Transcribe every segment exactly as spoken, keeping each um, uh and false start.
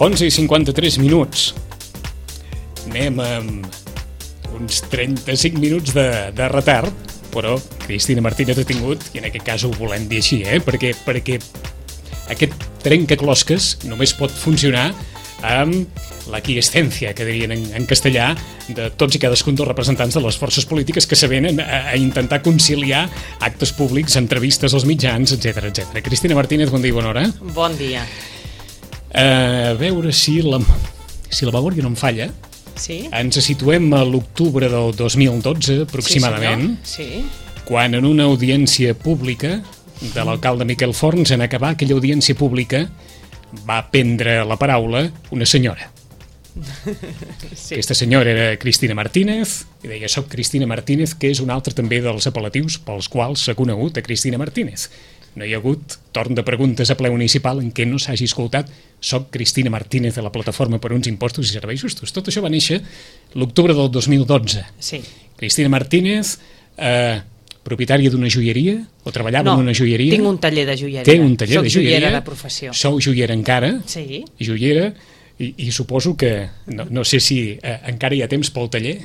onze i cinquanta-tres minuts. Anem amb uns trenta-cinc minuts de, de retard, però Cristina Martínez ha tingut, i en aquest cas ho volem dir així, eh? perquè, perquè aquest trencaclosques només pot funcionar amb la quiescencia, que dirien en, en castellà, de tots i cadascun dels representants de les forces polítiques que s'avenen a, a intentar conciliar actes públics, entrevistes als mitjans, etcètera, etcètera. Cristina Martínez, bon dia i bona hora. Bon dia. A veure si la, si la memòria no em falla. Sí? Ens situem a l'octubre del dos mil dotze, aproximadament, sí, sí. quan en una audiència pública de l'alcalde Miquel Forns, en acabar aquella audiència pública, va prendre la paraula una senyora. Sí. Aquesta senyora era Cristina Martínez, i deia, soc Cristina Martínez, que és un altre també dels apel·latius pels quals s'ha conegut a Cristina Martínez. No hi ha hagut torn de preguntes a ple municipal en què no s'hagi escoltat soc Cristina Martínez de la Plataforma per uns Impostos i Serveis Justos. Tot això va néixer l'octubre del dos mil dotze. Sí. Cristina Martínez, eh, propietària d'una joieria, o treballava no, en una joieria? tinc un taller de joieria. Té un taller Soc de joieria. Soc joiera de professió. Sou joiera encara? Sí. Joiera, i, i suposo que, no, no sé si eh, encara hi ha temps pel taller.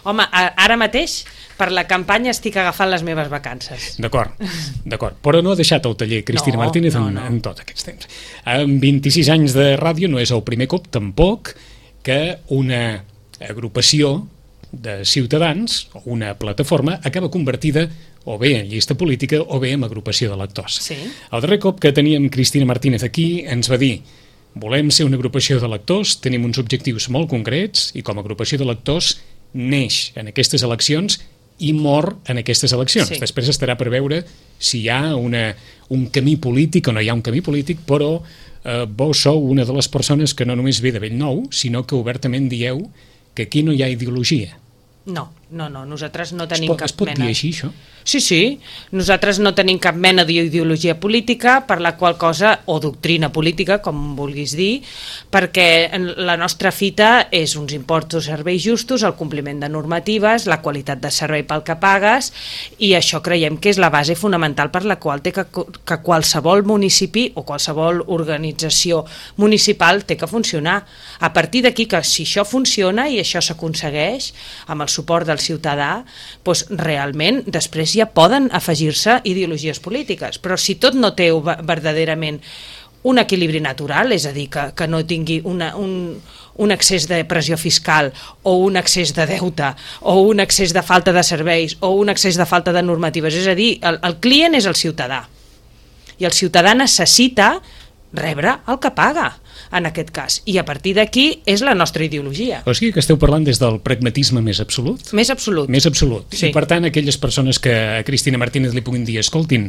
Home, a, ara mateix, per la campanya estic agafant les meves vacances. D'acord, d'acord. Però no ha deixat el taller Cristina no, Martínez no, en, no. en tots aquests temps. Amb vint-i-sis anys de ràdio no és el primer cop, tampoc, que una agrupació de ciutadans o una plataforma acaba convertida o bé en llista política o bé en agrupació de lectors. Sí. El darrer cop que teníem Cristina Martínez aquí ens va dir volem ser una agrupació de lectors, tenim uns objectius molt concrets i com a agrupació de lectors neix en aquestes eleccions i mor en aquestes eleccions. Sí. Després estarà per veure si hi ha una, un camí polític o no hi ha un camí polític, però eh, vos sou una de les persones que no només ve de bell nou, sinó que obertament dieu que aquí no hi ha ideologia. No, no, no, nosaltres no tenim es pot, cap es pot mena... dir així, això? Sí, sí, nosaltres no tenim cap mena d'ideologia política, per la qual cosa, o doctrina política, com vulguis dir, perquè la nostra fita és uns impostos, serveis justos, el compliment de normatives, la qualitat de servei pel que pagues, i això creiem que és la base fonamental per la qual té que, que qualsevol municipi o qualsevol organització municipal té que funcionar. A partir d'aquí, que si això funciona i això s'aconsegueix amb el suport del ciutadà, doncs realment després ja poden afegir-se ideologies polítiques, però si tot no té verdaderament un equilibri natural, és a dir, que, que no tingui una, un, un excés de pressió fiscal o un excés de deute o un excés de falta de serveis o un excés de falta de normatives, és a dir, el, el client és el ciutadà i el ciutadà necessita rebre el que paga, en aquest cas, i a partir d'aquí és la nostra ideologia. O sigui que esteu parlant des del pragmatisme més absolut? Més absolut. Més absolut. Sí. I per tant, aquelles persones que a Cristina Martínez li puguin dir, escoltin,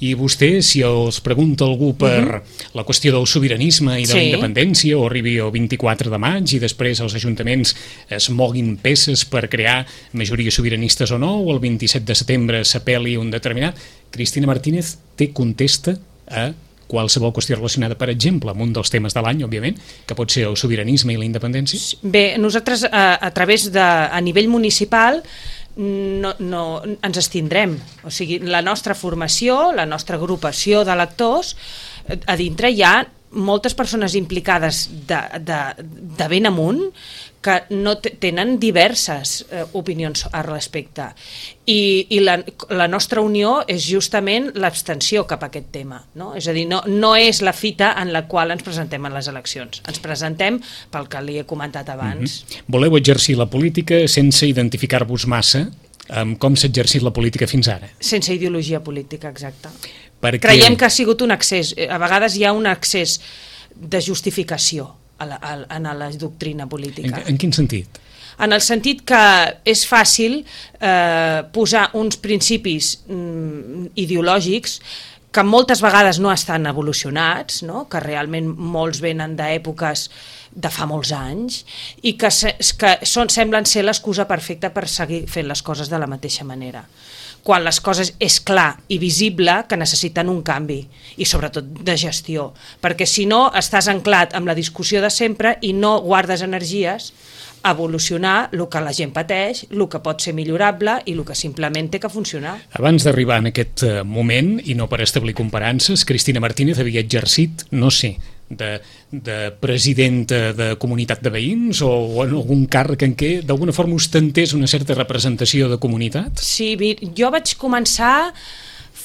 i vostè, si els pregunta algú per uh-huh. la qüestió del sobiranisme i de sí. la independència, o arribi el vint-i-quatre de maig i després els ajuntaments es moguin peces per crear majories sobiranistes o no, o el vint-i-set de setembre s'apel·li un determinat, Cristina Martínez té contesta a qualsevol qüestió relacionada, per exemple, amb un dels temes de l'any, òbviament, que pot ser el sobiranisme i la independència? Bé, nosaltres a, a través de, a nivell municipal no, no, ens estindrem. O sigui, la nostra formació, la nostra agrupació de lectors, a dintre hi ha moltes persones implicades de, de, de ben amunt que no tenen diverses eh, opinions al respecte. I, i la, la nostra unió és justament l'abstenció cap a aquest tema. No? És a dir, no, no és la fita en la qual ens presentem en les eleccions. Ens presentem pel que li he comentat abans. Mm-hmm. Voleu exercir la política sense identificar-vos massa amb com s'ha exercit la política fins ara? Sense ideologia política, exacte. Perquè... Creiem que ha sigut un excés. A vegades hi ha un excés de justificació a la, a, a la doctrina política. En, en quin sentit? En el sentit que és fàcil eh, posar uns principis mm, ideològics que moltes vegades no estan evolucionats, no? Que realment molts venen d'èpoques de fa molts anys i que, se, que són, semblen ser l'excusa perfecta per seguir fent les coses de la mateixa manera. Quan les coses és clar i visible que necessiten un canvi i sobretot de gestió, perquè si no estàs anclat amb la discussió de sempre i no guardes energies a evolucionar el que la gent pateix, el que pot ser millorable i el que simplement té que funcionar. Abans d'arribar en aquest moment, i no per establir comparances, Cristina Martínez havia exercit, no sé, de, de presidenta de comunitat de veïns o, o en algun càrrec en què d'alguna forma ostentés una certa representació de comunitat? Sí, jo vaig començar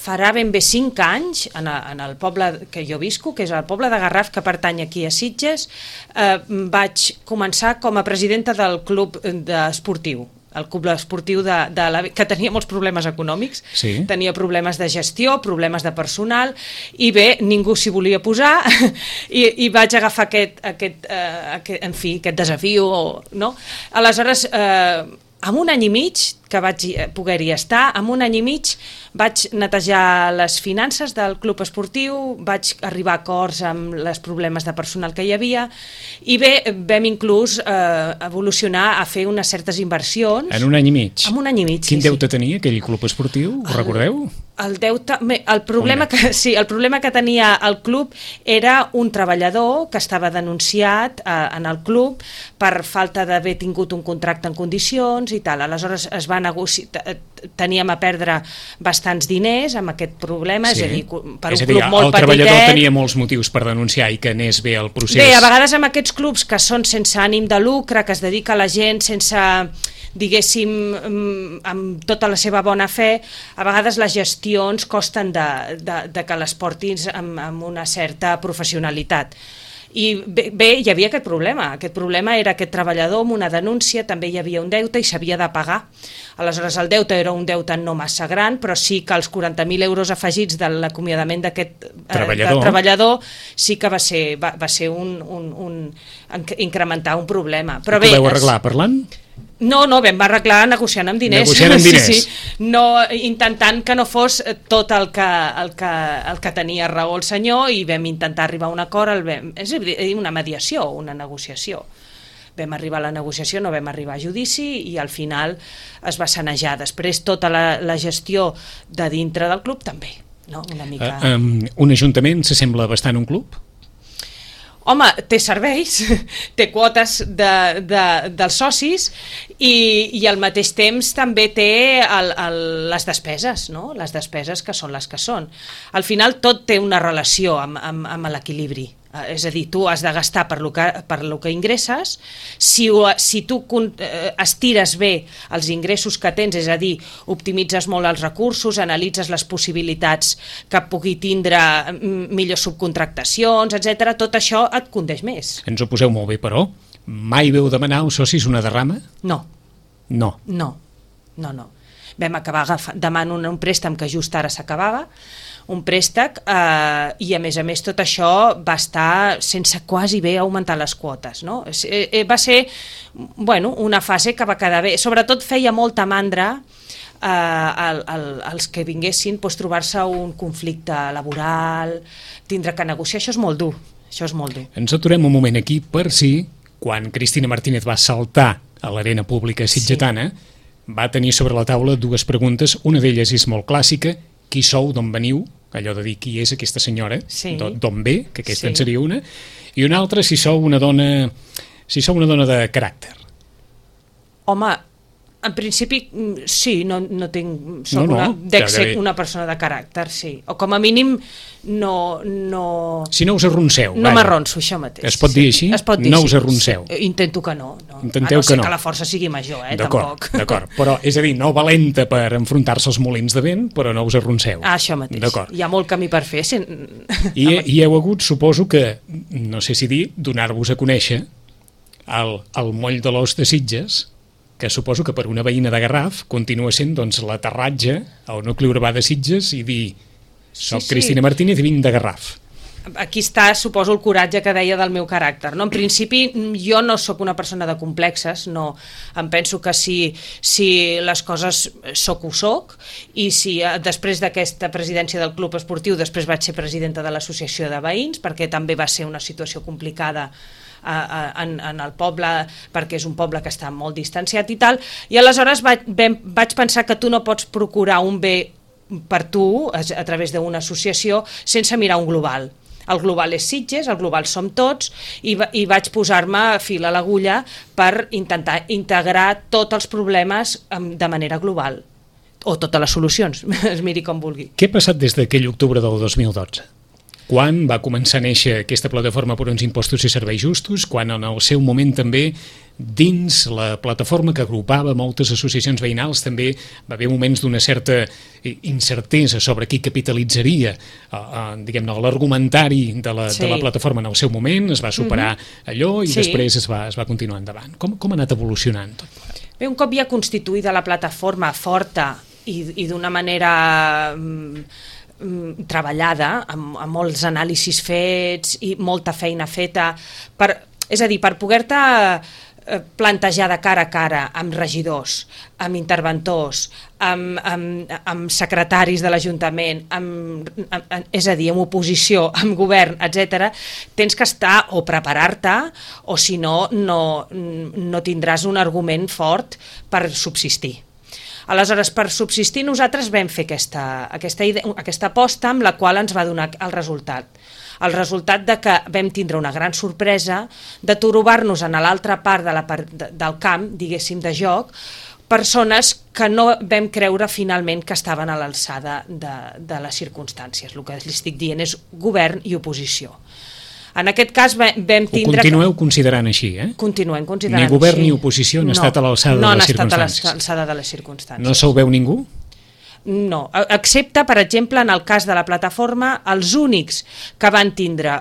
farà ben bé cinc anys en, a, en el poble que jo visco, que és el poble de Garraf, que pertany aquí a Sitges. Eh, vaig començar com a presidenta del club esportiu, el club esportiu de, de la, que tenia molts problemes econòmics, sí. Tenia problemes de gestió, problemes de personal, i bé, ningú s'hi volia posar, i, i vaig agafar aquest, aquest, eh, aquest, en fi, aquest desafiu, no? Aleshores, eh, en un any i mig que vaig poder-hi estar, en un any i mig vaig netejar les finances del club esportiu, vaig arribar a acords amb els problemes de personal que hi havia, i bé, vam inclús eh, evolucionar a fer unes certes inversions. En un any i mig? En un any i mig, Quin sí, deute sí. tenia aquell club esportiu? Ho recordeu? El deute, el problema que, sí, el problema que tenia el club era un treballador que estava denunciat eh, en el club per falta d'haver tingut un contracte en condicions i tal. Aleshores es va negociar, teníem a perdre bastants diners amb aquest problema, sí. És a dir, per és un a dir, club molt petitet... El treballador petitet, tenia molts motius per denunciar i que anés bé el procés. Bé, a vegades amb aquests clubs que són sense ànim de lucre, que es dedica a la gent sense, diguéssim, amb tota la seva bona fe, a vegades les gestions costen de, de, de que les portis amb, amb una certa professionalitat. I bé, bé, hi havia aquest problema. Aquest problema era aquest treballador amb una denúncia, també hi havia un deute i s'havia de pagar. Aleshores, el deute era un deute no massa gran, però sí que els quaranta mil euros afegits de l'acomiadament d'aquest treballador. Eh, treballador sí que va ser, va, va ser un, un, un, incrementar un problema. Però I bé, ho vau arreglar parlant? No, no, vam arreglar negociant amb diners. Negociant amb diners. Sí, sí. No, intentant que no fos tot el que, el, que, el que tenia raó el senyor, i vam intentar arribar a un acord, el vam, és a dir, una mediació, una negociació. Vam arribar a la negociació, no vam arribar a judici i al final es va sanejar. Després tota la, la gestió de dintre del club també, no? Una mica... Uh, um, un ajuntament s'assembla bastant a un club? Home, té serveis, té quotes de, de, dels socis i, i al mateix temps també té el, el, les despeses, no? Les despeses que són les que són. Al final tot té una relació amb, amb, amb l'equilibri. És a dir, tu has de gastar per lo que, per lo que ingresses. Si, si tu estires bé els ingressos que tens, és a dir, optimitzes molt els recursos, analitzes les possibilitats que pugui tindre millors subcontractacions, etcètera, tot això et condeix més. Ens ho poseu molt bé, però mai veu demanar als socis una derrama? No. No. No, no, no. Vam acabar demanant un, un préstec que just ara s'acabava, un préstec, eh, i a més a més tot això va estar sense quasi bé augmentar les quotes, no? Eh, va ser, bueno, una fase que va quedar bé, sobretot feia molta mandra eh, al, al, als que vinguessin pues, trobar-se un conflicte laboral, tindre que negociar, això és molt dur, això és molt dur. Ens aturem un moment aquí per si, quan Cristina Martínez va saltar a l'arena pública sitgetana, sí. Va tenir sobre la taula dues preguntes, una d'elles és molt clàssica: qui sou, d'on veniu, allò de dir qui és aquesta senyora, sí. d'on ve, que aquesta sí. en seria una, i una altra si sou una dona, si sou una dona de caràcter. Home, en principi sí, no, no tinc, soc no, no, una, dec ser bé. una persona de caràcter, sí, o com a mínim no... no... Si no us arronceu. No m'arronso, això mateix. Es pot dir així? Es pot dir no així. us arronceu. Sí. Intento que no. no. Intenteu a no ser que no. que la força sigui major, eh, tampoc. D'acord, d'acord. Però, és a dir, no valenta per enfrontar-se als molins de vent, però no us arronceu. Ah, això mateix. D'acord. Hi ha molt camí per fer. Si... I, I heu hagut, suposo que, no sé si dir, donar-vos a conèixer el, el moll de l'os de Sitges, que suposo que per una veïna de Garraf continua sent doncs, l'aterratge al nucli urbà de Sitges i dir, soc sí, sí. Cristina Martínez i vinc de Garraf. Aquí està, suposo, el coratge que deia del meu caràcter, no? En principi, jo no sóc una persona de complexes, no. Em penso que si, si les coses soc ho soc, i si després d'aquesta presidència del club esportiu, després vaig ser presidenta de l'associació de veïns, perquè també va ser una situació complicada En, en el poble, perquè és un poble que està molt distanciat i tal, i aleshores vaig, vaig pensar que tu no pots procurar un bé per tu a, a través d'una associació sense mirar un global. El global és Sitges, el global som tots, i, i vaig posar-me fil a l'agulla per intentar integrar tots els problemes de manera global, o totes les solucions, es miri com vulgui. Què ha passat des d'aquell octubre del dos mil dotze? quan va començar a néixer aquesta plataforma per uns impostos i serveis justos, quan en el seu moment també dins la plataforma que agrupava moltes associacions veïnals també va haver moments d'una certa incertesa sobre qui capitalitzaria eh, eh, diguem-ne l'argumentari de, la, sí. de la plataforma en el seu moment, es va superar mm-hmm. allò i sí. després es va, es va continuar endavant. Com, com ha anat evolucionant tot? Bé, un cop ja constituïda la plataforma forta i, i d'una manera mm, treballada, amb, amb molts anàlisis fets i molta feina feta, per, és a dir, per poder-te plantejar de cara a cara amb regidors, amb interventors, amb, amb, amb secretaris de l'Ajuntament, amb, amb, és a dir, amb oposició, amb govern, etcètera, tens que estar o preparar-te o si no, no, no tindràs un argument fort per subsistir. Aleshores, per subsistir nosaltres vam fer aquesta, aquesta, idea, aquesta aposta amb la qual ens va donar el resultat. El resultat de que vam tindre una gran sorpresa de trobar-nos en l'altra part de la, de, del camp, diguéssim, de joc, persones que no vam creure finalment que estaven a l'alçada de, de les circumstàncies. El que li estic dient és govern i oposició. En aquest cas vam tindre... Ho continueu considerant així, eh? Continuem considerant així. Ni govern així. ni oposició han no, estat a l'alçada no de les No circumstàncies. han estat a l'alçada de les circumstàncies. No se'l veu ningú? No, excepte, per exemple, en el cas de la plataforma, els únics que van tindre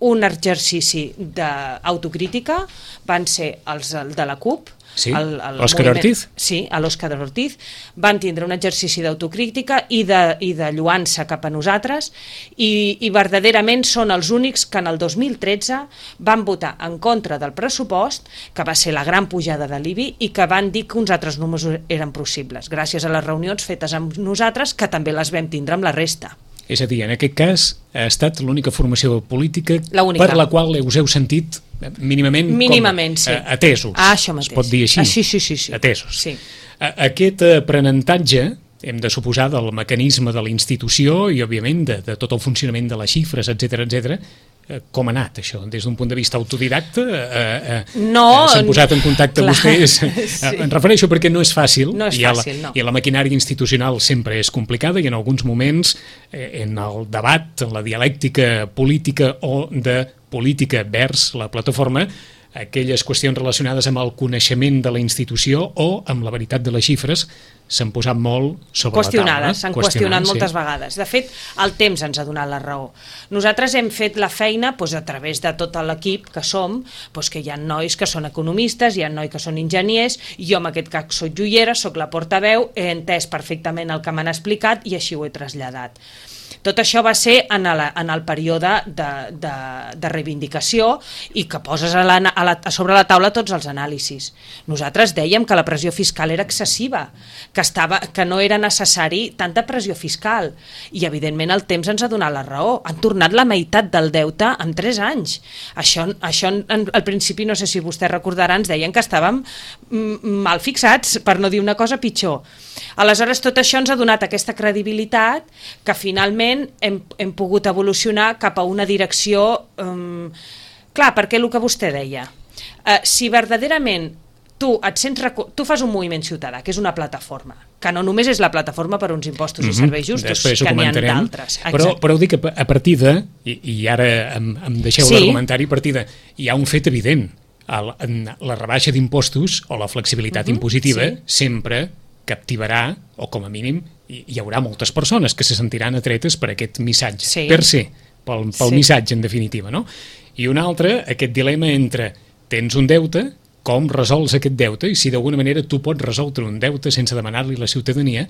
un exercici d'autocrítica van ser els de la CUP, sí, l'Òscar Ortiz. Sí, a l'Òscar Ortiz. Van tindre un exercici d'autocrítica i de, i de lluança cap a nosaltres i, i verdaderament són els únics que en el dos mil tretze van votar en contra del pressupost, que va ser la gran pujada de l'I B I, i que van dir que uns altres números eren possibles, gràcies a les reunions fetes amb nosaltres, que també les vam tindre amb la resta. És a dir, en aquest cas ha estat l'única formació política per la qual us heu sentit mínimament, mínimament com, sí. atesos. Ah, això mateix. Es pot dir així? Ah, sí, sí, sí, sí. Atesos. Sí. Aquest aprenentatge, hem de suposar, del mecanisme de la institució i, òbviament, de, de tot el funcionament de les xifres, etcètera, etcètera, com ha anat això? Des d'un punt de vista autodidacta eh, eh, no, s'han posat en contacte clar, vostès? Sí. Em refereixo perquè no és fàcil, no és i, fàcil la, no. i la maquinària institucional sempre és complicada i en alguns moments eh, en el debat, en la dialèctica política o de política vers la plataforma, aquelles qüestions relacionades amb el coneixement de la institució o amb la veritat de les xifres s'han posat molt sobre la taula. Qüestionades, s'han qüestionat moltes sí. vegades. De fet, el temps ens ha donat la raó. Nosaltres hem fet la feina doncs, a través de tot l'equip que som, doncs, que hi ha nois que són economistes, hi ha nois que són enginyers, jo en aquest cas soc joiera, soc la portaveu, he entès perfectament el que m'han explicat i així ho he traslladat. Tot això va ser en el, en el període de, de, de reivindicació i que poses a la, a la, a sobre la taula tots els anàlisis. Nosaltres dèiem que la pressió fiscal era excessiva, que, estava, que no era necessari tanta pressió fiscal i evidentment el temps ens ha donat la raó. Han tornat la meitat del deute en tres anys. Això, això en, al principi, no sé si vostès recordaran, ens deien que estàvem mal fixats, per no dir una cosa pitjor. Aleshores, tot això ens ha donat aquesta credibilitat que finalment hem, hem pogut evolucionar cap a una direcció... Um, clar, perquè el que vostè deia, uh, si verdaderament tu, et sents tu fas un moviment ciutadà, que és una plataforma, que no només és la plataforma per uns impostos mm-hmm. i serveis justos, després que n'hi ha d'altres. Però, però dic que a partir de, i, i ara em, em deixeu sí. l'argumentari, a partir de, hi ha un fet evident, el, la rebaixa d'impostos o la flexibilitat mm-hmm. impositiva sí. sempre captivarà, o com a mínim hi, hi haurà moltes persones que se sentiran atretes per aquest missatge, sí. per ser, pel, pel sí. missatge en definitiva, no? I un altre, aquest dilema entre tens un deute, com resols aquest deute, i si d'alguna manera tu pots resoldre un deute sense demanar-li a la ciutadania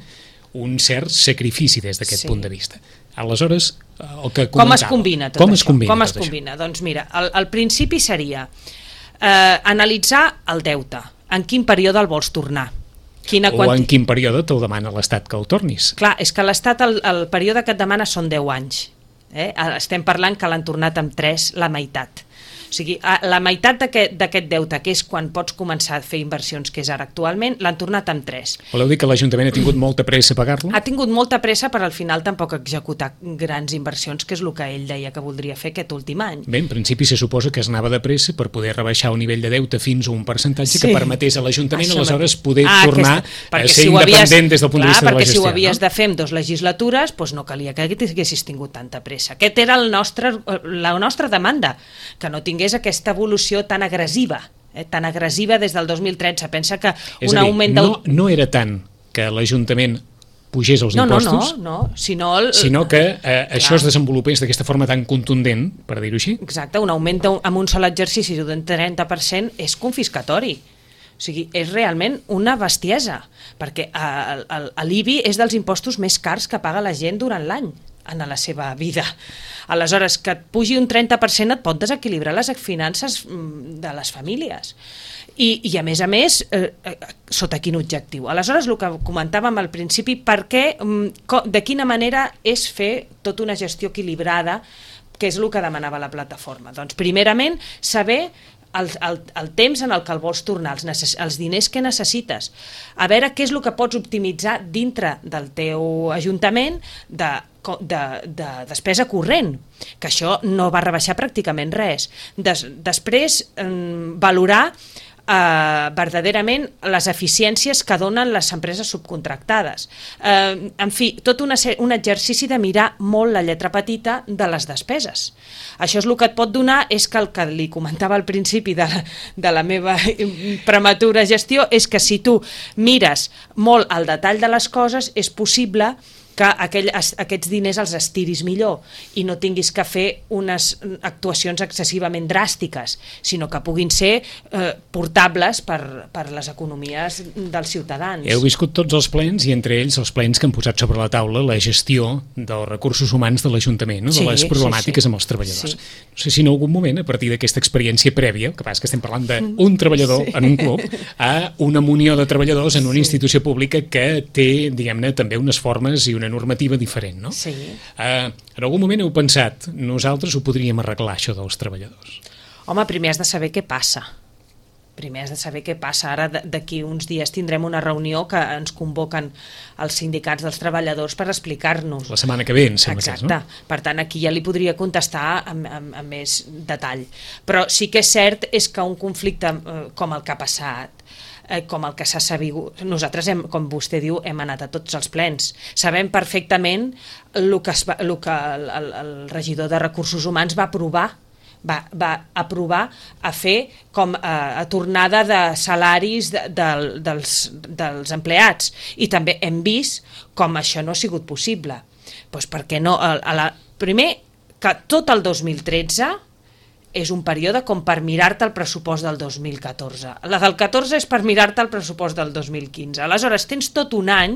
un cert sacrifici des d'aquest sí. punt de vista. Aleshores, el que comentava... Com es combina tot com això? Es combina com es tot combina? Això? Doncs mira, el, el principi seria eh, analitzar el deute, en quin període el vols tornar. Quina o en quin període te'l demana l'Estat que el tornis. Clar, és que l'Estat, el, el període que et demana són deu anys. Eh? Estem parlant que l'han tornat amb tres, la meitat. O sigui, la meitat d'aquest deute, que és quan pots començar a fer inversions, que és ara actualment, l'han tornat amb tres. Voleu dir que l'Ajuntament ha tingut molta pressa a pagar-lo? Ha tingut molta pressa, però al final tampoc executar grans inversions, que és el que ell deia que voldria fer aquest últim any. Bé, en principi se suposa que es anava de pressa per poder rebaixar el nivell de deute fins a un percentatge sí. que permetés a l'Ajuntament aleshores poder ah, tornar aquesta... a ser si independent havies... des del punt Clar, de vista de la gestió. Perquè si ho havies no? de fer en dues legislatures, doncs no calia que haguessis tingut tanta pressa. Aquest era el nostre, la nostra demanda, que no tingués aquesta evolució tan agressiva, eh, tan agressiva des del dos mil tretze. Pensa que és un a dir, augment... No, no era tant que l'Ajuntament pugés els no, impostos, no, no, no. Sinó, el, sinó que eh, això es desenvolupés d'aquesta forma tan contundent, per dir-ho així. Exacte, un augment amb un sol exercici d'un trenta per cent és confiscatori. O sigui, és realment una bestiesa, perquè l'I B I és dels impostos més cars que paga la gent durant l'any en la seva vida. Aleshores, que et pugi un trenta per cent et pot desequilibrar les finances de les famílies. I, i a més a més, eh, sota quin objectiu? Aleshores, el que comentàvem al principi, per què, de quina manera és fer tota una gestió equilibrada, que és el que demanava la plataforma? Doncs, primerament, saber El, el, el temps en el que el vols tornar, els, necess, els diners que necessites, a veure què és el que pots optimitzar dintre del teu ajuntament de, de, de despesa corrent, que això no va rebaixar pràcticament res. Des, després, eh, valorar Uh, verdaderament les eficiències que donen les empreses subcontractades. Uh, en fi, tot una, un exercici de mirar molt la lletra petita de les despeses. Això és el que et pot donar, és que el que li comentava al principi de la, de la meva prematura gestió, és que si tu mires molt al detall de les coses, és possible que aquell, aquests diners els estiris millor i no tinguis que fer unes actuacions excessivament dràstiques, sinó que puguin ser eh, portables per, per les economies dels ciutadans. Heu viscut tots els plens i entre ells els plens que han posat sobre la taula la gestió dels recursos humans de l'Ajuntament, no? de sí, les problemàtiques sí, sí. amb els treballadors. Sí. No sé si en algun moment, a partir d'aquesta experiència prèvia, que passa que estem parlant d'un treballador sí. en un club, a una munió de treballadors en una sí. institució pública que té, diguem-ne, també unes formes i una normativa diferent, no? Sí. Uh, en algun moment heu pensat, nosaltres ho podríem arreglar, això dels treballadors? Home, primer has de saber què passa. Primer has de saber què passa. Ara, d'aquí uns dies, tindrem una reunió que ens convoquen els sindicats dels treballadors per explicar-nos. La setmana que ve, em sembla que és, no? Exacte. Per tant, aquí ja li podria contestar amb, amb, amb més detall. Però sí que és cert és que un conflicte eh, com el que ha passat, com el que s'ha sabut. Nosaltres, hem, com vostè diu, hem anat a tots els plens. Sabem perfectament el que, es va, el, que el, el, el regidor de Recursos Humans va aprovar, va, va aprovar a fer com a, a tornada de salaris de, de, dels, dels empleats. I també hem vist com això no ha sigut possible. Doncs perquè no, a, a la, primer, que tot el dos mil tretze és un període com per mirar-te el pressupost del dos mil catorze. La del catorze és per mirar-te el pressupost del dos mil quinze. Aleshores, tens tot un any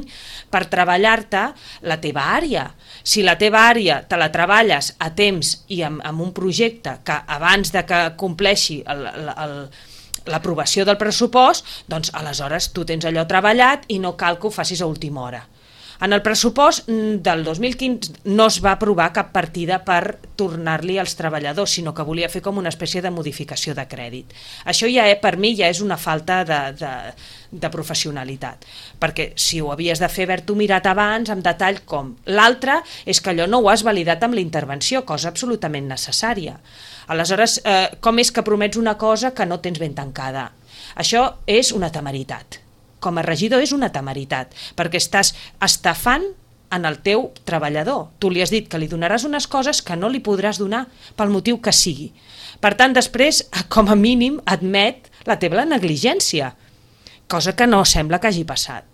per treballar-te la teva àrea. Si la teva àrea te la treballes a temps i amb, amb un projecte que abans de que compleixi el, el, el, l'aprovació del pressupost, doncs aleshores tu tens allò treballat i no cal que ho facis a última hora. En el pressupost del dos mil quinze no es va aprovar cap partida per tornar-li als treballadors, sinó que volia fer com una espècie de modificació de crèdit. Això ja per mi ja és una falta de, de, de professionalitat, perquè si ho havies de fer haver-t'ho mirat abans, amb detall com. L'altre és que allò no ho has validat amb la intervenció, cosa absolutament necessària. Aleshores, eh, com és que promets una cosa que no tens ben tancada? Això és una temeritat. Com a regidor és una temeritat, perquè estàs estafant en el teu treballador. Tu li has dit que li donaràs unes coses que no li podràs donar pel motiu que sigui. Per tant, després, com a mínim, admet la teva negligència, cosa que no sembla que hagi passat.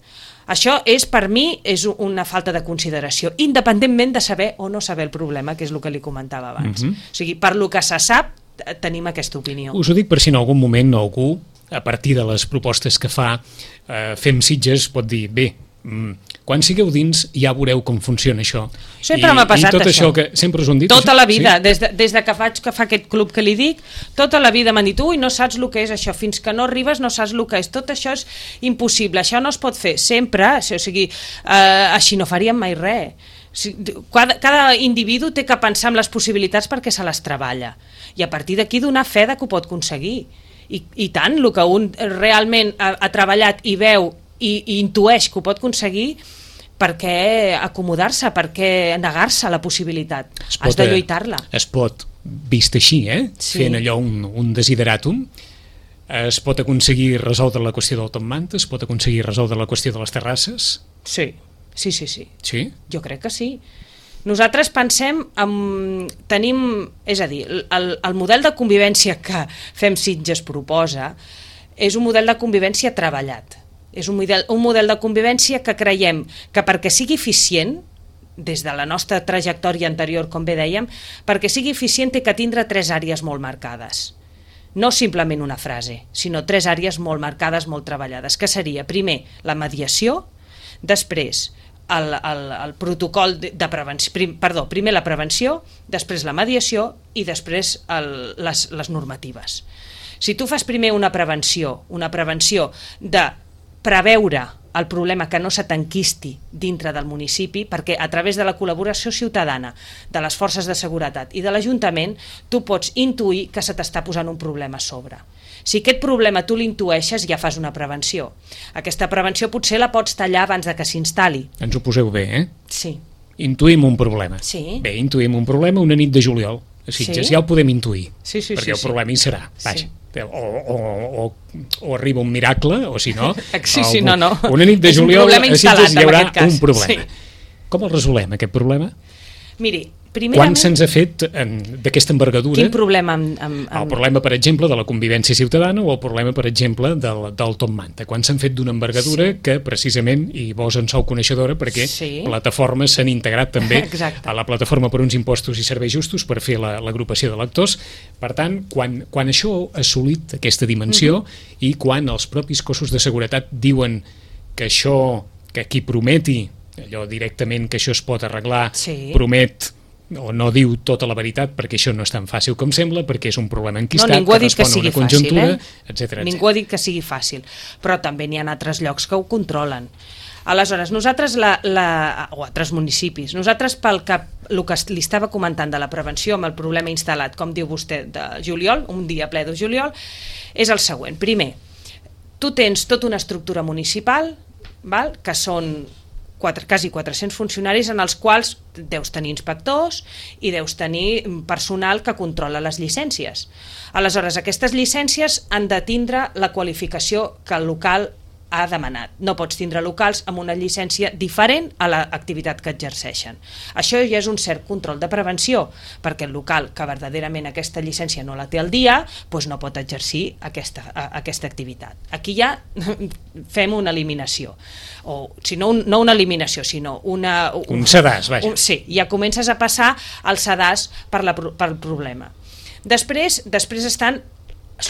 Això és, per mi, és una falta de consideració, independentment de saber o no saber el problema, que és el que li comentava abans. Mm-hmm. O sigui, per lo que se sap, tenim aquesta opinió. Us ho dic per si en algun moment algú, a partir de les propostes que fa eh, Fem Sitges, pot dir, bé, mm, quan sigueu dins ja veureu com funciona això. Sempre m'ha passat I tot això. això que sempre us ho han dit? Tota això? la vida, sí? des, de, des de que faig que fa aquest club que li dic, tota la vida m'han dit, ui, no saps el que és això, fins que no arribes no saps el que és, tot això és impossible, això no es pot fer, sempre, o sigui, eh, així no faríem mai res. Cada, cada individu té que pensar en les possibilitats perquè se les treballa i a partir d'aquí donar fe de que ho pot aconseguir i, i tant, el que un realment ha, ha treballat i veu i, i intueix que ho pot aconseguir, per què acomodar-se, per què negar-se a la possibilitat? Pot, has de lluitar-la. Es pot, vist així, eh? Sí. Fent allò un, un desideratum, es pot aconseguir resoldre la qüestió del Top Manta, es pot aconseguir resoldre la qüestió de les terrasses? Sí. Sí, sí, sí. Sí? Jo crec que sí. Nosaltres pensem, en, tenim, és a dir, el, el model de convivència que Fem Sitges proposa és un model de convivència treballat. És un model, un model de convivència que creiem que perquè sigui eficient, des de la nostra trajectòria anterior, com bé dèiem, perquè sigui eficient té que tindre tres àrees molt marcades. No simplement una frase, sinó tres àrees molt marcades, molt treballades, que seria, primer, la mediació, després, El, el, el protocol de, de prevenció, prim, perdó, primer la prevenció, després la mediació i després el, les, les normatives. Si tu fas primer una prevenció, una prevenció de preveure el problema que no se t'enquisti dintre del municipi, perquè a través de la col·laboració ciutadana, de les forces de seguretat i de l'Ajuntament, tu pots intuir que se t'està posant un problema a sobre. Si aquest problema tu l'intueixes, ja fas una prevenció. Aquesta prevenció potser la pots tallar abans de que s'instal·li. Ens ho poseu bé, eh? Sí. Intuïm un problema. Sí. Bé, intuïm un problema una nit de juliol. A Sitges sí? Ja ho podem intuir, sí, sí, perquè sí, el problema sí. hi serà. Vaja. Sí. O, o, o, o arriba un miracle, o si no... Sí, sí, no, no. Una nit de juliol a Sitges hi haurà un problema. Sí. Com el resolem, aquest problema? Miri, primerament... Quan se'ns ha fet d'aquesta envergadura? Quin problema? Amb, amb, amb... El problema, per exemple, de la convivència ciutadana o el problema, per exemple, del, del Top Manta. Quan s'han fet d'una envergadura sí. que, precisament, i vos en sou coneixedora, perquè sí. plataformes s'han integrat també Exacte. A la plataforma per uns impostos i serveis justos per fer l'agrupació la, de lectors. Per tant, quan, quan això ha assolit aquesta dimensió mm-hmm. i quan els propis cossos de seguretat diuen que això, que qui prometi allò directament que això es pot arreglar, sí. promet o no diu tota la veritat, perquè això no és tan fàcil com sembla, perquè és un problema enquistat, no, que respon a una conjuntura, fàcil, eh? etcètera. Ningú ha dit que sigui fàcil, però també n'hi ha altres llocs que ho controlen. Aleshores, nosaltres, la, la, o altres municipis, nosaltres pel que, el que li estava comentant de la prevenció amb el problema instal·lat, com diu vostè, de juliol, un dia ple de juliol, és el següent. Primer, tu tens tota una estructura municipal, val? Que són Quatre, quasi quatre-cents funcionaris en els quals deus tenir inspectors i deus tenir personal que controla les llicències. Aleshores, aquestes llicències han de tindre la qualificació que el local ha demanat. No pots tindre locals amb una llicència diferent a l'activitat que exerceixen. Això ja és un cert control de prevenció, perquè el local que verdaderament aquesta llicència no la té al dia, doncs no pot exercir aquesta, aquesta activitat. Aquí ja fem una eliminació. O, si no, un, no una eliminació, sinó una... Un, un sedàs, vaja. Un, sí, ja comences a passar al sedàs per, la, per el problema. Després, després estan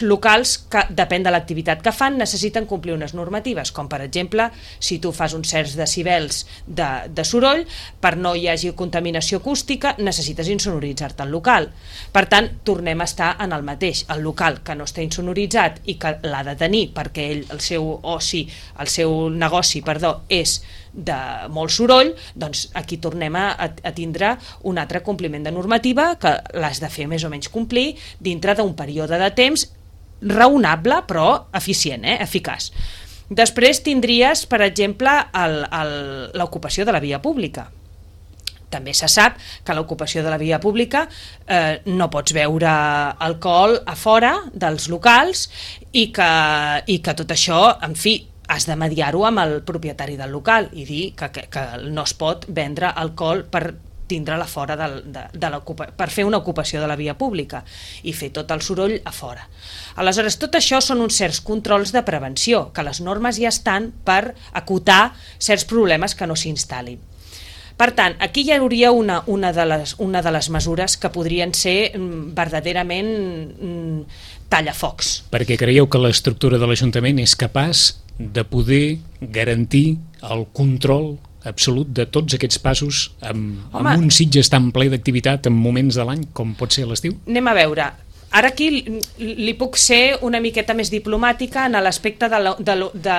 locals que, depèn de l'activitat que fan, necessiten complir unes normatives, com per exemple, si tu fas uns certs decibels de, de soroll, per no hi hagi contaminació acústica, necessites insonoritzar-te el local. Per tant, tornem a estar en el mateix. El local que no està insonoritzat i que l'ha de tenir perquè ell, el seu oci, el seu negoci, perdó, és de molt soroll, doncs aquí tornem a, a tindre un altre compliment de normativa que l'has de fer més o menys complir dintre d'un període de temps raonable però eficient, eh? Eficaç. Després tindries, per exemple, l'ocupació de la via pública. També se sap que l'ocupació de la via pública eh, no pots beure alcohol a fora dels locals i que, i que tot això, en fi, has de mediar-ho amb el propietari del local i dir que, que, que no es pot vendre alcohol per tindre-la fora de, de, de per fer una ocupació de la via pública i fer tot el soroll a fora. Aleshores, tot això són uns certs controls de prevenció, que les normes ja estan per acotar certs problemes que no s'instal·lin. Per tant, aquí hi hauria una, una, de les, una de les mesures que podrien ser mm, verdaderament mm, tallafocs. Perquè creieu que l'estructura de l'Ajuntament és capaç de poder garantir el control absolut de tots aquests passos amb, amb un Sitges tan ple d'activitat en moments de l'any com pot ser l'estiu? Anem a veure, ara aquí li puc ser una miqueta més diplomàtica en l'aspecte de, la, de, de,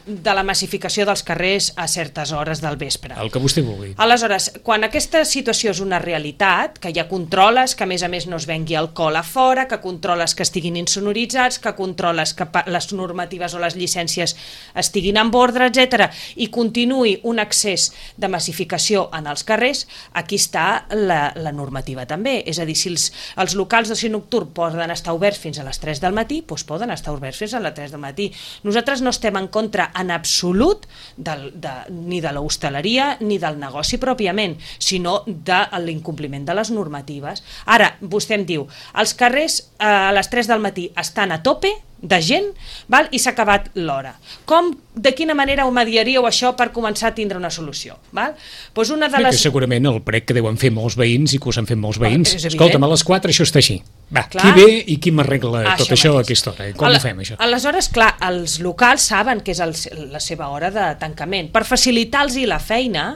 de la massificació dels carrers a certes hores del vespre. El que vostè vulgui. Aleshores, quan aquesta situació és una realitat, que ja controles que a més a més no es vengui alcohol a fora, que controles que estiguin insonoritzats, que controles que les normatives o les llicències estiguin en ordre, etcètera, i continuï un excés de massificació en els carrers, aquí està la, la normativa també. És a dir, si els, els locals d'oci nocturn poden estar oberts fins a les tres del matí, doncs poden estar oberts fins a les tres del matí. Nosaltres no estem en contra en absolut del, de, ni de l'hostaleria ni del negoci pròpiament, sinó de l'incompliment de les normatives. Ara, vostè em diu, els carrers eh, a les tres del matí estan a tope de gent, val? I s'ha acabat l'hora. Com, de quina manera ho mediaríeu això per començar a tindre una solució? Val? Pues una de les... Que segurament el prec que deuen fer molts veïns i que us han fet molts veïns, escolta'm, a les quatre això està així. Va, clar. Qui ve i qui m'arregla ah, tot això, això a aquesta hora? Com Al, ho fem, això? Aleshores, clar, els locals saben que és el, la seva hora de tancament. Per facilitar-los la feina,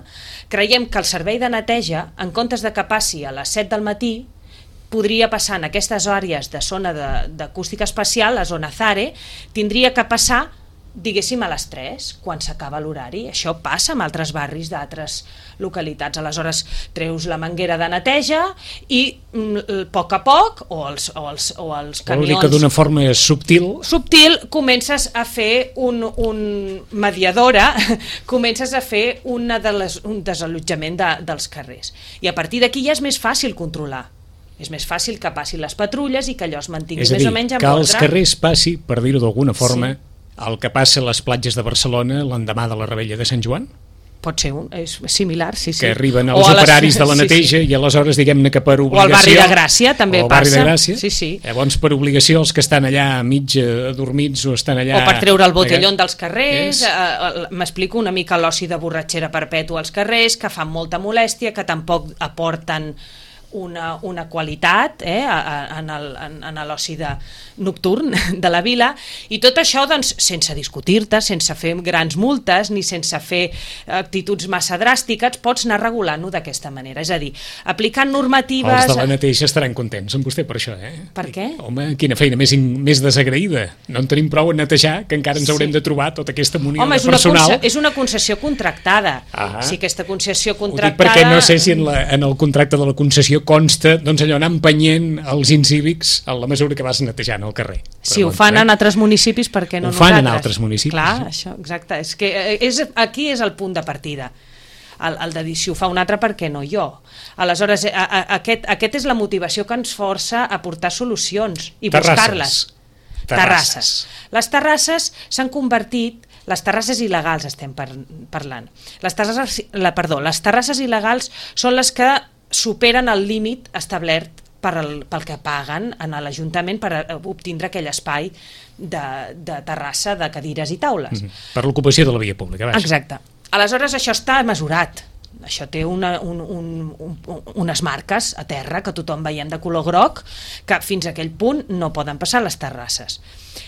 creiem que el servei de neteja, en comptes de que passi a les set del matí, podria passar en aquestes àrees de zona d'acústica espacial, la zona ZARE, tindria que passar, diguéssim, a les tres, quan s'acaba l'horari. Això passa en altres barris d'altres localitats. Aleshores, treus la manguera de neteja i a poc a poc, o els, o els, o els camions... Vol dir que d'una forma subtil... Subtil, comences a fer un, un mediadora, comences a fer una de les, un desallotjament de, dels carrers. I a partir d'aquí ja és més fàcil controlar. És més fàcil que passin les patrulles i que allò es mantingui més o menys en ordre. És a dir, que als carrers passi, per dir-ho d'alguna forma, sí, el que passa a les platges de Barcelona l'endemà de la Rebella de Sant Joan? Pot ser un, és similar, sí, sí. Que arriben els o operaris les... de la neteja sí, sí. i aleshores, diguem-ne que per obligació... O al barri de Gràcia també o barri passa. De Gràcia. Sí, sí. Llavors, per obligació, els que estan allà mig adormits o estan allà... O per treure el botellón allà... dels carrers, eh, m'explico una mica l'oci de borratxera perpètua als carrers, que fan molta molèstia, que tampoc aporten una, una qualitat eh, en, el, en, en l'oci de, nocturn de la vila, i tot això doncs, sense discutir-te, sense fer grans multes ni sense fer actituds massa dràstiques, pots anar regulant-ho d'aquesta manera, és a dir, aplicant normatives... Els de la neteja estaran contents amb vostè per això, eh? Per què? Home, quina feina més, més desagraïda, no en tenim prou a netejar que encara ens sí. haurem de trobar tota aquesta munió Home, de personal. Home, és una concessió contractada. Ah. Si aquesta concessió contractada... Ho dic perquè no sé si en, la, en el contracte de la concessió consta doncs allò anar empenyent els incívics en la mesura que vas netejant el carrer. Si ho fan en altres municipis, per què no ho nosaltres? Ho fan en altres municipis. Clar, això, exacte. És que és, aquí és el punt de partida. El, el de dir, si ho fa un altre, per què no jo? Aleshores, a, a, aquest, aquest és la motivació que ens força a portar solucions i buscar-les. Terrasses. Terrasses. Les terrasses s'han convertit... Les terrasses il·legals estem par parlant. Les terrasses, la, perdó, les terrasses il·legals són les que superen el límit establert per el, pel que paguen a l'Ajuntament per obtindre aquell espai de, de terrassa, de cadires i taules. Mm-hmm. Per l'ocupació de la via pública. Vaja. Exacte. Aleshores, això està mesurat. Això té una, un, un, un, unes marques a terra que tothom veiem de color groc, que fins a aquell punt no poden passar les terrasses.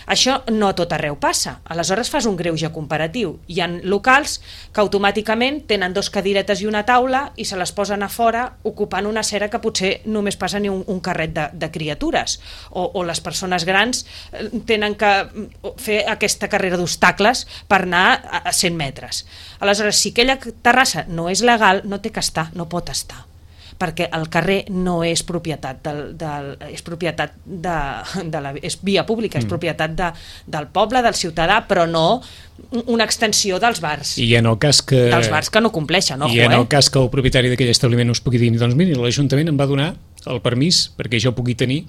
Això no a tot arreu passa. Aleshores fas un greuge comparatiu. Hi ha locals que automàticament tenen dos cadiretes i una taula i se les posen a fora ocupant una acera que potser només passa ni un, un carret de, de criatures. O, o les persones grans tenen que fer aquesta carrera d'obstacles per anar a, a cent metres. Aleshores, si aquella terrassa no és legal, no té que estar, no pot estar, perquè el carrer no és propietat del, del, és propietat de, de la, és via pública, mm. és propietat de, del poble, del ciutadà, però no una extensió dels bars. I en el cas que... Dels bars que no compleixen, ojo, I en el eh? cas que el propietari d'aquell establiment us pugui dir, doncs miri, l'Ajuntament em va donar el permís perquè jo pugui tenir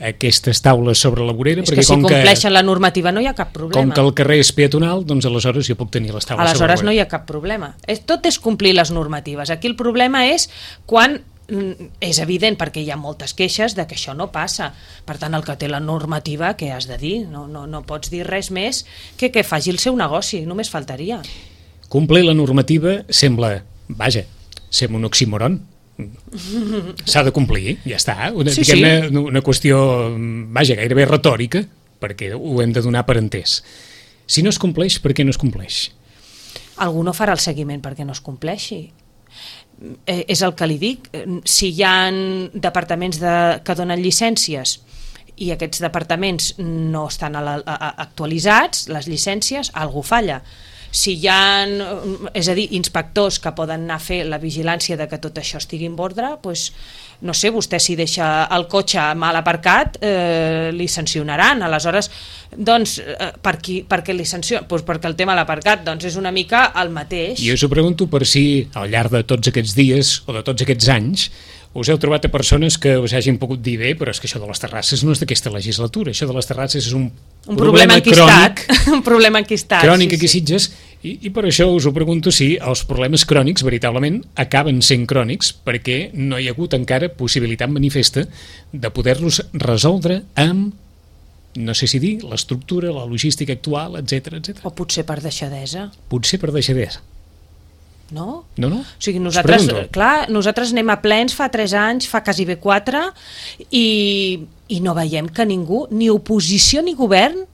aquestes taules sobre la vorera, és perquè que si com compleixen que, la normativa no hi ha cap problema. Com que el carrer és peatonal, doncs aleshores jo puc tenir les taules aleshores sobre la vorera. No hi ha cap problema. Tot és complir les normatives. Aquí el problema és quan és evident, perquè hi ha moltes queixes de que això no passa. Per tant, el que té la normativa, què has de dir? No, no, no pots dir res més que que faci el seu negoci, només faltaria. Complir la normativa sembla, vaja, sembla un oxímoron. S'ha de complir, ja està. Una, sí, diguem-ne, sí. una qüestió, vaja, gairebé retòrica, perquè ho hem de donar per entès. Si no es compleix, per què no es compleix? Algú no farà el seguiment perquè no es compleixi. Eh, és el que li dic. Si hi ha departaments de, que donen llicències i aquests departaments no estan a la, a, actualitzats, les llicències, algú falla. Si hi ha, és a dir, inspectors que poden anar a fer la vigilància de que tot això estigui en ordre, doncs, no sé, vostè si deixa el cotxe mal aparcat, eh, li sancionaran. Aleshores, doncs, eh, per, qui, per què li sancionen? Doncs perquè el tema de l'aparcat doncs, és una mica el mateix. Jo us ho pregunto per si, al llarg de tots aquests dies o de tots aquests anys, us heu trobat a persones que us hagin pogut dir bé, però és que això de les terrasses no és d'aquesta legislatura, això de les terrasses és un, un problema, problema crònic, un problema enquistat, crònic sí, aquí a Sitges, i, i per això us ho pregunto si els problemes crònics veritablement acaben sent crònics perquè no hi ha hagut encara possibilitat manifesta de poder-los resoldre amb, no sé si dir, l'estructura, la logística actual, etcètera, etcètera. O potser per deixadesa. Potser per deixadesa. No? No, no? O sigui, nosaltres, clar, nosaltres anem a plens fa tres anys, fa quasi bé quatre, i, i no veiem que ningú, ni oposició ni govern,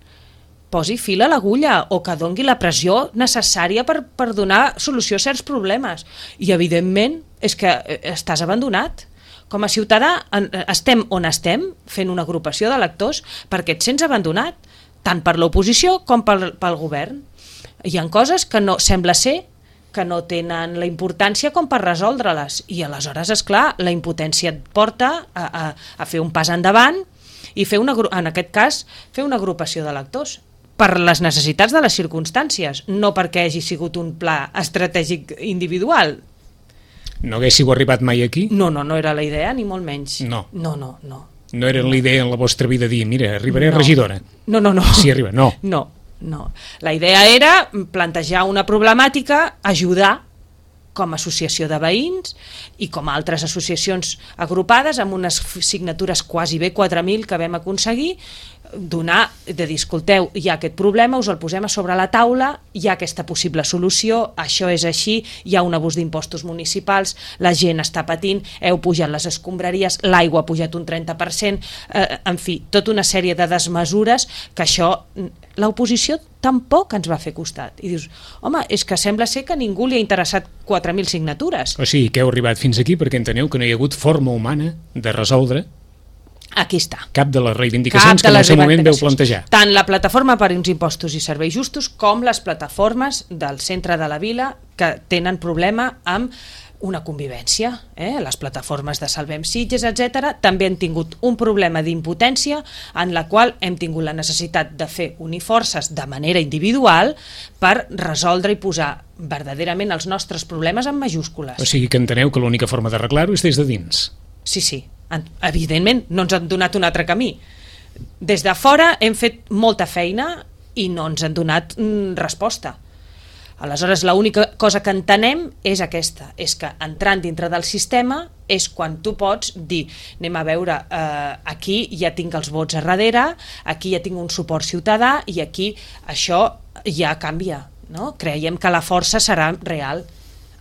posi fil a l'agulla o que dongui la pressió necessària per, per donar solució a certs problemes. I, evidentment, és que estàs abandonat. Com a ciutadà estem on estem, fent una agrupació de lectors, perquè et sents abandonat, tant per l'oposició com pel, pel govern. Hi ha coses que no sembla ser que no tenen la importància com per resoldre-les, i aleshores, és clar, la impotència et porta a, a, a fer un pas endavant i fer una, en aquest cas fer una agrupació de lectors per les necessitats de les circumstàncies, no perquè hagi sigut un pla estratègic individual. No haguéssiu arribat mai aquí? No, no, no era la idea, ni molt menys. No. No, no, no. No era la idea en la vostra vida dir, mira, arribaré no. a regidora. No, no, no. Si arriba, no. No. No, la idea era plantejar una problemàtica, ajudar com a associació de veïns i com a altres associacions agrupades amb unes signatures quasi bé quatre mil que vam aconseguir, donar, de dir, escolteu, hi ha aquest problema, us el posem a sobre la taula, hi ha aquesta possible solució, això és així, hi ha un abús d'impostos municipals, la gent està patint, heu pujat les escombraries, l'aigua ha pujat un trenta per cent, eh, en fi, tota una sèrie de desmesures que això, l'oposició tampoc ens va fer costat. I dius, home, és que sembla ser que ningú li ha interessat quatre mil signatures. O sigui, que heu arribat fins aquí perquè enteneu que no hi ha hagut forma humana de resoldre aquí està. Cap de les reivindicacions que en el seu moment veu plantejar. Tant la plataforma per uns impostos i serveis justos com les plataformes del centre de la vila que tenen problema amb una convivència. Eh? Les plataformes de Salvem Sitges, etcètera, també han tingut un problema d'impotència en la qual hem tingut la necessitat de fer unir forces de manera individual per resoldre i posar verdaderament els nostres problemes en majúscules. O sigui que enteneu que l'única forma d'arreglar-ho és des de dins. Sí, sí. Evidentment no ens han donat un altre camí. Des de fora hem fet molta feina i no ens han donat mm, resposta. Aleshores, l'única cosa que entenem és aquesta, és que entrant dintre del sistema és quan tu pots dir, anem a veure, eh, aquí ja tinc els vots a darrere, aquí ja tinc un suport ciutadà i aquí això ja canvia. No? Creiem que la força serà real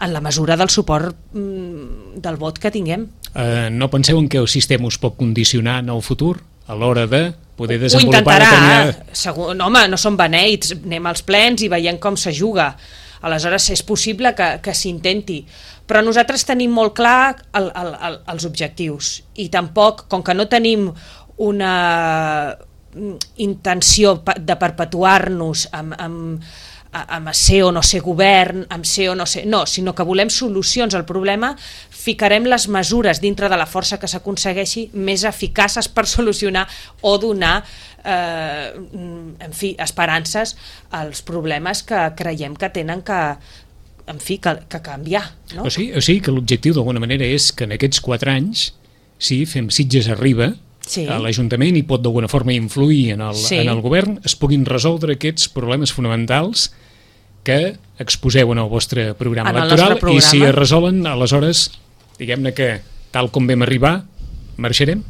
en la mesura del suport mm, del vot que tinguem. Uh, no penseu en què el sistema us pot condicionar en el futur a l'hora de poder Ho desenvolupar intentarà, determinada... segur, no, home, no som beneits, anem als plens i veiem com se juga. Aleshores és possible que, que s'intenti, però nosaltres tenim molt clar el, el, el, els objectius i tampoc, com que no tenim una intenció de perpetuar-nos amb, amb amb ser o no ser govern, amb ser o no ser... No, sinó que volem solucions al problema, ficarem les mesures dintre de la força que s'aconsegueixi més eficaces per solucionar o donar, eh, en fi, esperances als problemes que creiem que tenen que, en fi, que, que canviar. No? O sigui, o sigui que l'objectiu d'alguna manera és que en aquests quatre anys, si fem Sitges Arriba, sí, a l'Ajuntament i pot d'alguna forma influir en el, sí, en el govern, es puguin resoldre aquests problemes fonamentals que exposeu en el vostre programa en electoral programa. I si es resolen, aleshores, diguem-ne que tal com vam arribar, marxarem?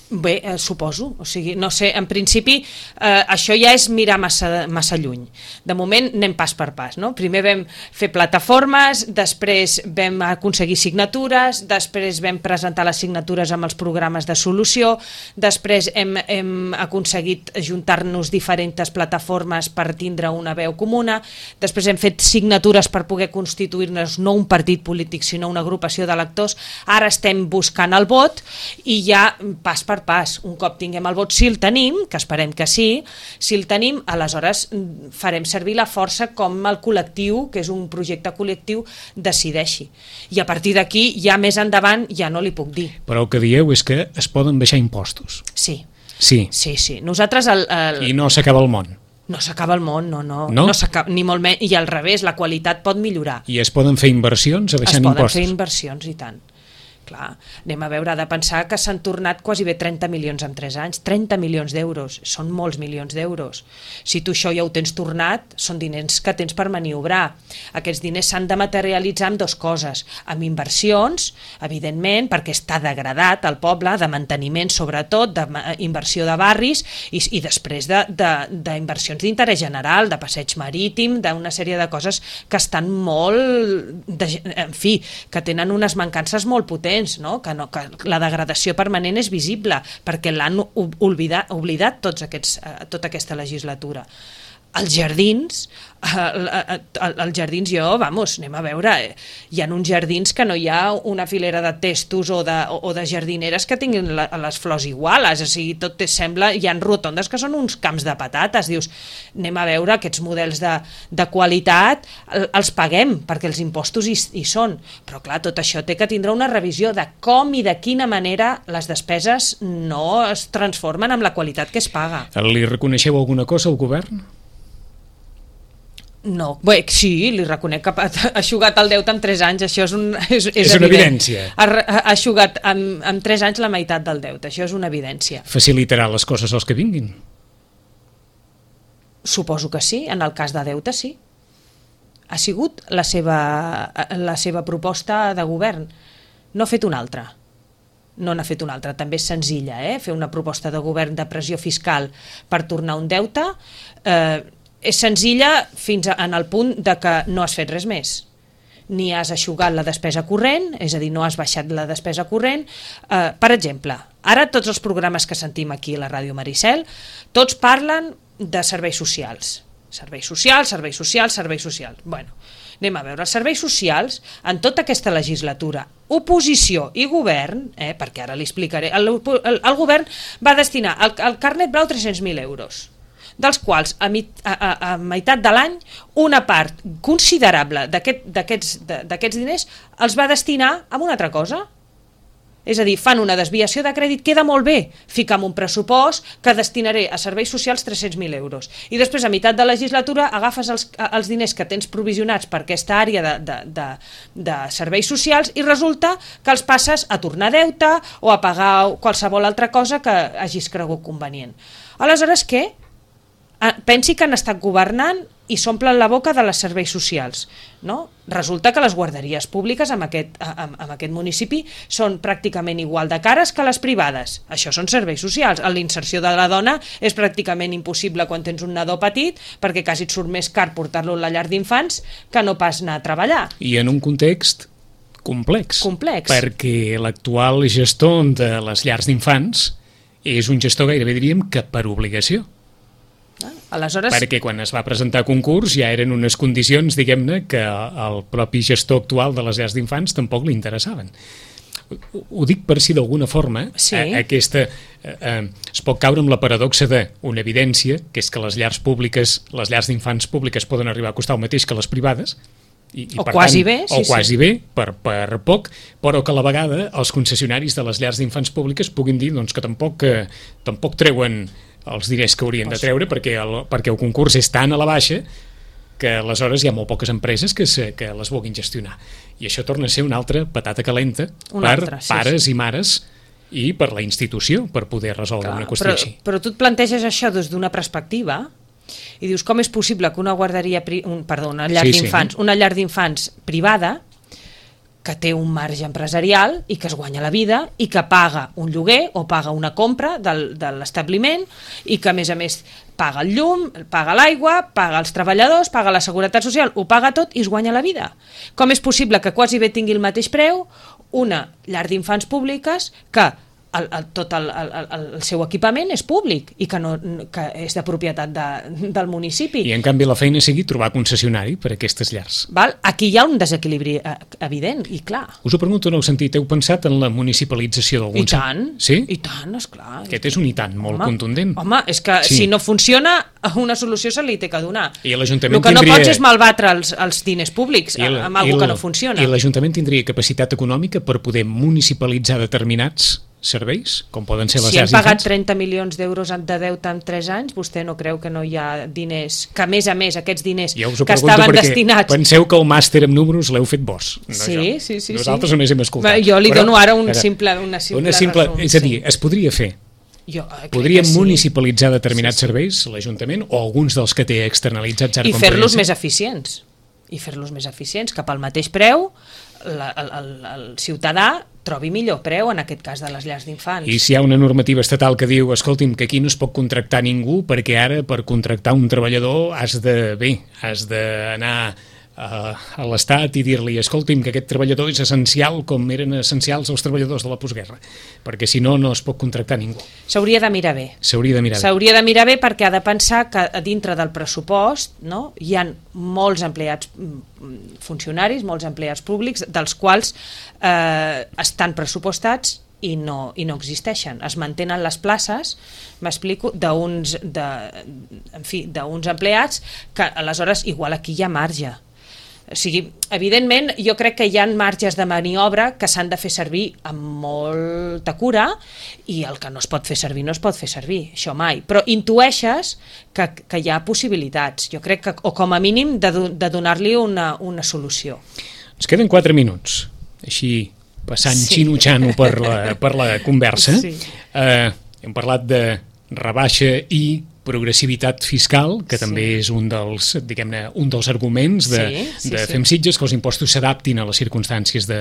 Bé, eh, suposo, o sigui, no sé, en principi eh, això ja és mirar massa, massa lluny. De moment anem pas per pas, no? Primer vam fer plataformes, després vam aconseguir signatures, després vam presentar les signatures amb els programes de solució, després hem, hem aconseguit juntar-nos diferents plataformes per tindre una veu comuna, després hem fet signatures per poder constituir-nos no un partit polític sinó una agrupació d'electors, ara estem buscant el vot i ja pas per per pas. Un cop tinguem el vot, si el tenim, que esperem que sí, si el tenim, aleshores farem servir la força com el col·lectiu, que és un projecte col·lectiu, decideixi. I a partir d'aquí, ja més endavant, ja no li puc dir. Però el que dieu és que es poden baixar impostos. Sí. Sí. Sí, sí. Nosaltres... El, el... I no s'acaba el món. No s'acaba el món, no, no. No? no ni molt menys, i al revés, la qualitat pot millorar. I es poden fer inversions abaixant impostos? Es poden impostos? fer inversions, i tant. Clar, anem a veure, ha de pensar que s'han tornat quasi bé trenta milions en tres anys, trenta milions d'euros, són molts milions d'euros. Si tu això ja ho tens tornat, són diners que tens per maniobrar. Aquests diners s'han de materialitzar amb dues coses, amb inversions, evidentment, perquè està degradat el poble, de manteniment sobretot, d'inversió de barris, i, i després d'inversions d'interès general, de passeig marítim, d'una sèrie de coses que estan molt, de, en fi, que tenen unes mancances molt potents, no? Que no, que la degradació permanent és visible perquè l'han oblidat, oblidat tots aquests, tota aquesta legislatura. Els jardins, els jardins jo, vamos, anem a veure, hi ha uns jardins que no hi ha una filera de testos o de, o de jardineres que tinguin les flors iguales, o sigui, tot sembla, hi ha rotondes que són uns camps de patates, dius, anem a veure aquests models de, de qualitat, els paguem perquè els impostos hi, hi són, però clar, tot això té que tindre una revisió de com i de quina manera les despeses no es transformen amb la qualitat que es paga. Li reconeixeu alguna cosa al govern? No, bé, sí, li reconec que ha eixugat el deute en tres anys, això és, un, és, és, és una evidència. Ha, ha eixugat en, en tres anys la meitat del deute, això és una evidència. Facilitarà les coses als que vinguin? Suposo que sí, en el cas de deute sí. Ha sigut la seva, la seva proposta de govern, no ha fet una altra. No n'ha fet una altra, també és senzilla, eh? Fer una proposta de govern de pressió fiscal per tornar un deute, eh, és senzilla fins en el punt de que no has fet res més. Ni has eixugat la despesa corrent, és a dir, no has baixat la despesa corrent. Eh, per exemple, ara tots els programes que sentim aquí a la Ràdio Maricel, tots parlen de serveis socials. Serveis socials, serveis socials, serveis socials. Bueno, anem a veure, els serveis socials, en tota aquesta legislatura, oposició i govern, eh, perquè ara li explicaré, el, el, el govern va destinar al, al carnet blau tres-cents mil euros, dels quals a, mit, a, a, a meitat de l'any una part considerable d'aquests d'aquests diners els va destinar a una altra cosa. És a dir, fan una desviació de crèdit, queda molt bé, ficar un pressupost que destinaré a serveis socials tres-cents mil euros. I després, a meitat de legislatura, agafes els, els diners que tens provisionats per aquesta àrea de, de, de, de serveis socials i resulta que els passes a tornar deute o a pagar qualsevol altra cosa que hagis cregut convenient. Aleshores, què? Pensi que han estat governant i s'omplen la boca de les serveis socials, no? Resulta que les guarderies públiques en aquest, en, en aquest municipi són pràcticament igual de cares que les privades. Això són serveis socials. La inserció de la dona és pràcticament impossible quan tens un nadó petit perquè quasi et surt més car portar-lo a la llar d'infants que no pas anar a treballar. I en un context complex. Complex. Perquè l'actual gestor de les llars d'infants és un gestor gairebé diríem que per obligació. Ah, aleshores... Perquè quan es va presentar a concurs ja eren unes condicions, diguem-ne, que el propi gestor actual de les llars d'infants tampoc li interessaven. Ho dic per si d'alguna forma sí. a, aquesta, eh, es pot caure amb la paradoxa d'una evidència, que és que les llars públiques, les llars d'infants públiques poden arribar a costar el mateix que les privades, i, i o per quasi tant, bé, sí, o quasi sí. bé per, per poc, però que a la vegada els concessionaris de les llars d'infants públiques puguin dir doncs, que tampoc, que, tampoc treuen els diners que haurien de treure perquè el, perquè el concurs és tan a la baixa que aleshores hi ha molt poques empreses que, se, que les vulguin gestionar. I això torna a ser una altra patata calenta una per altra, sí, pares sí. i mares i per la institució per poder resoldre Clar, una qüestió però, així. Però tu et planteges això des d'una perspectiva i dius com és possible que una guarderia, pri, un, perdó, una llar sí, d'infants, sí. una llar d'infants privada que té un marge empresarial i que es guanya la vida i que paga un lloguer o paga una compra del, de l'establiment i que a més a més paga el llum, paga l'aigua, paga els treballadors, paga la seguretat social, ho paga tot i es guanya la vida. Com és possible que quasi bé tingui el mateix preu una llar d'infants públiques que el, el, tot el, el, el, el seu equipament és públic i que, no, que és de propietat de, del municipi. I en canvi la feina sigui trobar concessionari per a aquestes llars. Val? Aquí hi ha un desequilibri evident i clar. Us ho pregunto en el sentit, heu pensat en la municipalització d'alguns? I tant, sí? i tant, esclar. Aquest és un i tant molt home, contundent. Home, és que sí. Si no funciona, una solució se li té que donar. I l'Ajuntament el que tindria... no pots és malbatre els, els diners públics el, amb alguna que no funciona. I l'Ajuntament tindria capacitat econòmica per poder municipalitzar determinats serveis, com poden ser les si llars d'infants? Si hem pagat trenta milions d'euros de deute en tres anys, vostè no creu que no hi ha diners, que a més a més aquests diners ja que estaven destinats... Penseu que el màster amb números l'heu fet vos. No sí, jo. sí, sí. Nosaltres sí. només hem escoltat. Jo li Però, dono ara un simple, una simple, una simple resum. És a dir, sí. Es podria fer. Jo, Podríem sí. municipalitzar determinats sí, sí. serveis, l'Ajuntament, o alguns dels que té externalitzats ara i fer-los més eficients. I fer-los més eficients, que pel mateix preu la, el, el, el ciutadà trobi millor preu, en aquest cas de les llars d'infants. I si hi ha una normativa estatal que diu, escolti'm, que aquí no es pot contractar ningú perquè ara per contractar un treballador has de, bé, has d'anar a l'Estat i dir-li, escolti'm, que aquest treballador és essencial com eren essencials els treballadors de la postguerra, perquè si no, no es pot contractar ningú. S'hauria de mirar bé. S'hauria de mirar bé. S'hauria de mirar bé perquè ha de pensar que a dintre del pressupost, no, hi ha molts empleats funcionaris, molts empleats públics, dels quals eh, estan pressupostats i no, i no existeixen. Es mantenen les places, m'explico, d'uns de, en fi, d'uns empleats que aleshores igual aquí hi ha marge. O sigui, evidentment, jo crec que hi ha marges de maniobra que s'han de fer servir amb molta cura i el que no es pot fer servir no es pot fer servir, això mai. Però intueixes que, que hi ha possibilitats, jo crec que, o com a mínim, de, de donar-li una, una solució. Ens queden quatre minuts, així passant sí. xino-xano per la, per la conversa. Sí. Eh, hem parlat de rebaixa i progressivitat fiscal, que sí. també és un dels, diguem-ne, un dels arguments de, sí, sí, de sí. Fem Sitges, que els impostos s'adaptin a les circumstàncies de,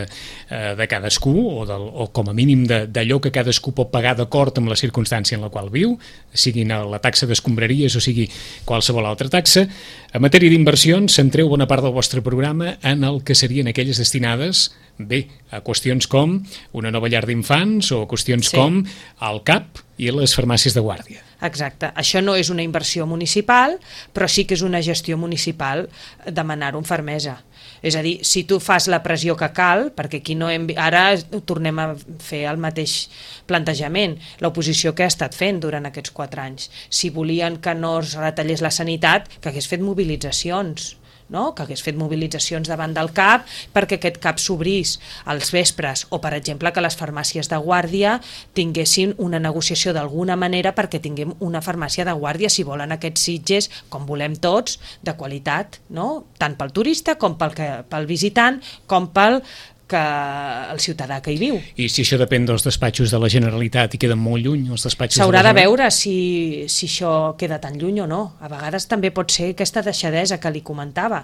de cadascú, o, del, o com a mínim d'allò que cadascú pot pagar d'acord amb la circumstància en la qual viu, sigui la taxa d'escombraries o sigui qualsevol altra taxa. En matèria d'inversions, centreu bona part del vostre programa en el que serien aquelles destinades, bé, a qüestions com una nova llar d'infants o qüestions sí. com el C A P i les farmàcies de guàrdia. Exacte. Això no és una inversió municipal, però sí que és una gestió municipal demanar-ho amb fermesa. És a dir, si tu fas la pressió que cal, perquè aquí no hem... ara tornem a fer el mateix plantejament, l'oposició que ha estat fent durant aquests quatre anys. Si volien que no es retallés la sanitat, que hagués fet mobilitzacions, no? Que hagués fet mobilitzacions davant del C A P perquè aquest C A P s'obrís als vespres, o per exemple que les farmàcies de guàrdia tinguessin una negociació d'alguna manera perquè tinguem una farmàcia de guàrdia, si volen aquests Sitges, com volem tots, de qualitat, no? Tant pel turista com pel, que, pel visitant, com pel que el ciutadà que hi viu. I si això depèn dels despatxos de la Generalitat i queden molt lluny els despatxos s'haurà de, de veure si, si això queda tan lluny o no. A vegades també pot ser aquesta deixadesa que li comentava.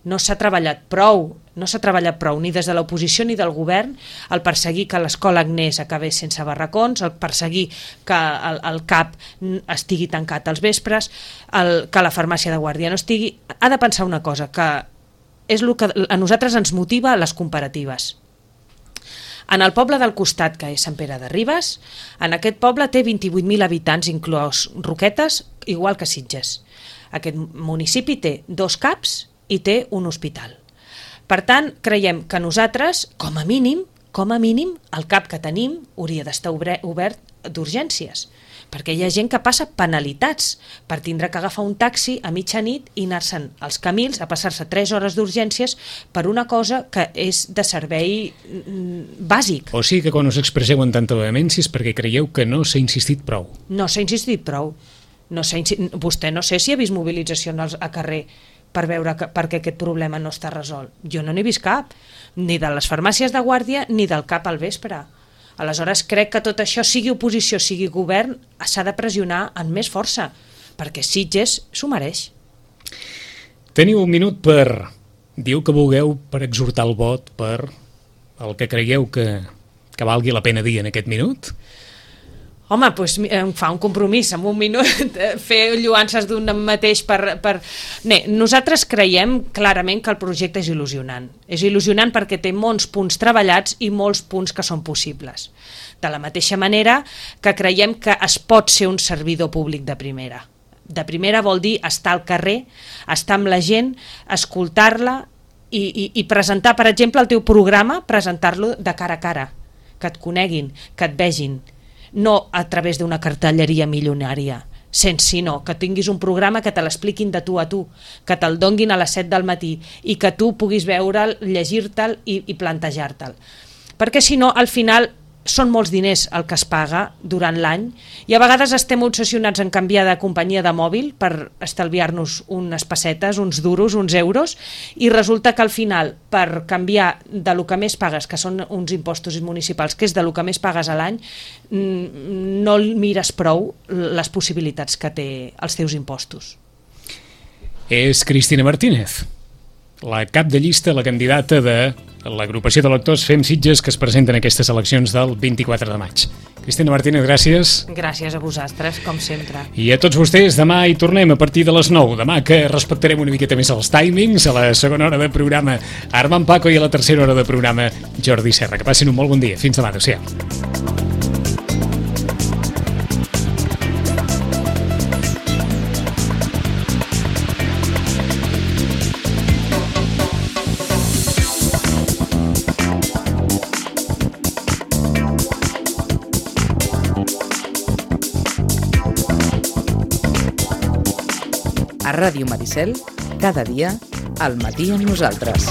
No s'ha treballat prou, no s'ha treballat prou ni des de l'oposició ni del govern el perseguir que l'escola Agnès acabés sense barracons, el perseguir que el, el C A P estigui tancat als vespres, el, que la farmàcia de guàrdia no estigui. Ha de pensar una cosa, que és el que a nosaltres ens motiva les comparatives. En el poble del costat, que és Sant Pere de Ribes, en aquest poble té vint-i-vuit mil habitants, inclòs Roquetes, igual que Sitges. Aquest municipi té dos C A Ps i té un hospital. Per tant, creiem que nosaltres, com a mínim, com a mínim, el C A P que tenim hauria d'estar obert d'urgències, perquè hi ha gent que passa penalitats per tindre que agafar un taxi a mitjanit i anar-se'n als Camils a passar-se tres hores d'urgències per una cosa que és de servei bàsic. O sigui que quan us expresseu en tanta vehemència és perquè creieu que no s'ha insistit prou. No s'ha insistit prou. No s'ha insistit... Vostè no sé si ha vist mobilitzacions a carrer per veure que, perquè aquest problema no està resolt. Jo no n'he vist cap, ni de les farmàcies de guàrdia ni del C A P al vespre. Aleshores crec que tot això, sigui oposició, sigui govern, s'ha de pressionar amb més força, perquè Sitges s'ho mereix. Teniu un minut per dir el que vulgueu, per exhortar el vot, per el que creieu que, que valgui la pena dir en aquest minut. Home, doncs em fa un compromís en un minut fer lluances d'un mateix per... per... Bé, nosaltres creiem clarament que el projecte és il·lusionant. És il·lusionant perquè té molts punts treballats i molts punts que són possibles. De la mateixa manera que creiem que es pot ser un servidor públic de primera. De primera vol dir estar al carrer, estar amb la gent, escoltar-la i, i, i presentar, per exemple, el teu programa, presentar-lo de cara a cara, que et coneguin, que et vegin, no a través d'una cartelleria milionària, sense sinó que tinguis un programa que te l'expliquin de tu a tu, que te'l donguin a les set del matí i que tu puguis veure'l, llegir-te'l i, i plantejar-te'l. Perquè si no, al final són molts diners el que es paga durant l'any i a vegades estem obsessionats en canviar de companyia de mòbil per estalviar-nos unes pessetes, uns duros, uns euros, i resulta que al final per canviar de lo que més pagues, que són uns impostos municipals, que és de lo que més pagues a l'any, no mires prou les possibilitats que té els teus impostos. És Cristina Martínez, la cap de llista, la candidata de l'agrupació de lectors Fem Sitges, que es presenten en aquestes eleccions del vint-i-quatre de maig. Cristina Martínez, gràcies. Gràcies a vosaltres, com sempre. I a tots vostès, demà hi tornem a partir de les nou. Demà que respectarem una miqueta més els timings, a la segona hora de programa Armand Paco i a la tercera hora de programa Jordi Serra. Que passin un molt bon dia. Fins demà. Adéu-siau. A Ràdio Maricel, cada dia, al matí amb nosaltres.